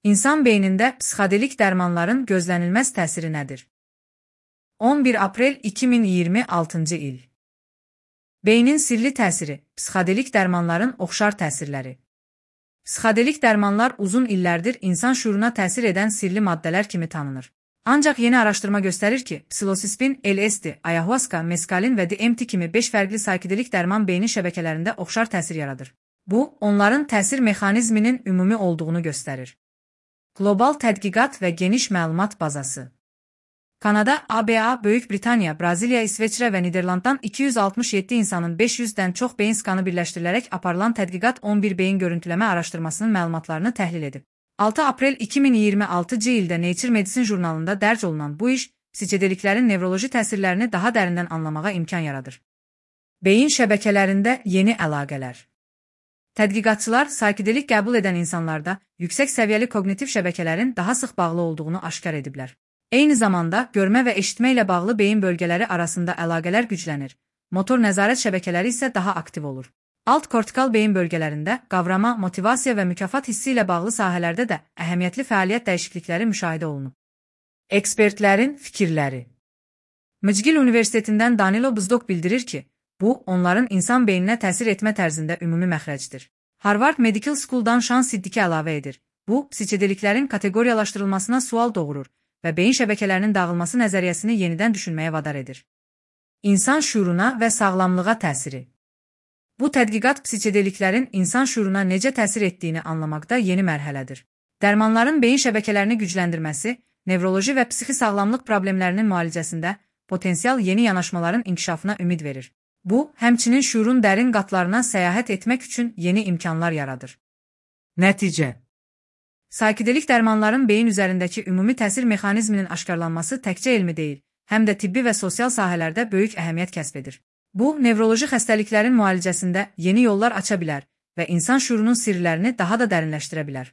İnsan beynində psixodelik dərmanların gözlənilməz təsiri nədir? 11 aprel 2026-cı il. Beynin sirli təsiri, psixodelik dərmanların oxşar təsirləri. Psixodelik dərmanlar uzun illərdir insan şuuruna təsir edən sirli maddələr kimi tanınır. Ancaq yeni araşdırma göstərir ki, psilosibin, LSD, ayahuasca, meskalin və DMT kimi 5 fərqli psixodelik dərman beynin şəbəkələrində oxşar təsir yaradır. Bu, onların təsir mexanizminin ümumi olduğunu göstərir. Qlobal tədqiqat və geniş məlumat bazası. Kanada, ABA, Böyük Britaniya, Braziliya, İsveçrə və Niderlanddan 267 insanın 500-dən çox beyin skanı birləşdirilərək aparılan tədqiqat 11 beyin görüntüləmə araşdırmasının məlumatlarını təhlil edib. 6 aprel 2026-cı ildə Nature Medicine jurnalında dərc olunan bu iş, psixodeliklərin nevroloji təsirlərini daha dərindən anlamağa imkan yaradır. Beyin şəbəkələrində yeni əlaqələr. Tədqiqatçılar psixodelik qəbul edən insanlarda yüksək səviyyəli koqnitiv şəbəkələrin daha sıx bağlı olduğunu aşkar ediblər. Eyni zamanda görmə və eşitmə ilə bağlı beyin bölgələri arasında əlaqələr güclənir, motor nəzarət şəbəkələri isə daha aktiv olur. Alt kortikal beyin bölgələrində qavrama, motivasiya və mükafat hissi ilə bağlı sahələrdə də əhəmiyyətli fəaliyyət dəyişiklikləri müşahidə olunub. Ekspertlərin fikirləri. Mcgill Universitetindən Danilo Bzdok bildirir ki, bu, onların insan beyninə təsir etmə tərzində ümumi məxrəcdir. Harvard Medical School'dan Şan Siddiki əlavə edir. Bu, psixodeliklərin kateqoriyalaşdırılmasına sual doğurur və beyin şəbəkələrinin dağılması nəzəriyyəsini yenidən düşünməyə vadar edir. İnsan şuuruna və sağlamlığa təsiri. Bu tədqiqat psixodeliklərin insan şuuruna necə təsir etdiyini anlamaqda yeni mərhələdir. Dərmanların beyin şəbəkələrini gücləndirməsi, nevroloji və psixi sağlamlıq problemlərinin müalicəsində potensial yeni yanaşmaların inkişafına ümid verir. Bu, həmçinin şuurun dərin qatlarına səyahət etmək üçün yeni imkanlar yaradır. Nəticə. Psixodelik dərmanların beyin üzərindəki ümumi təsir mexanizminin aşkarlanması təkcə elmi deyil, həm də tibbi və sosial sahələrdə böyük əhəmiyyət kəsb edir. Bu, nevroloji xəstəliklərin müalicəsində yeni yollar aça bilər və insan şuurunun sirlərini daha da dərinləşdirə bilər.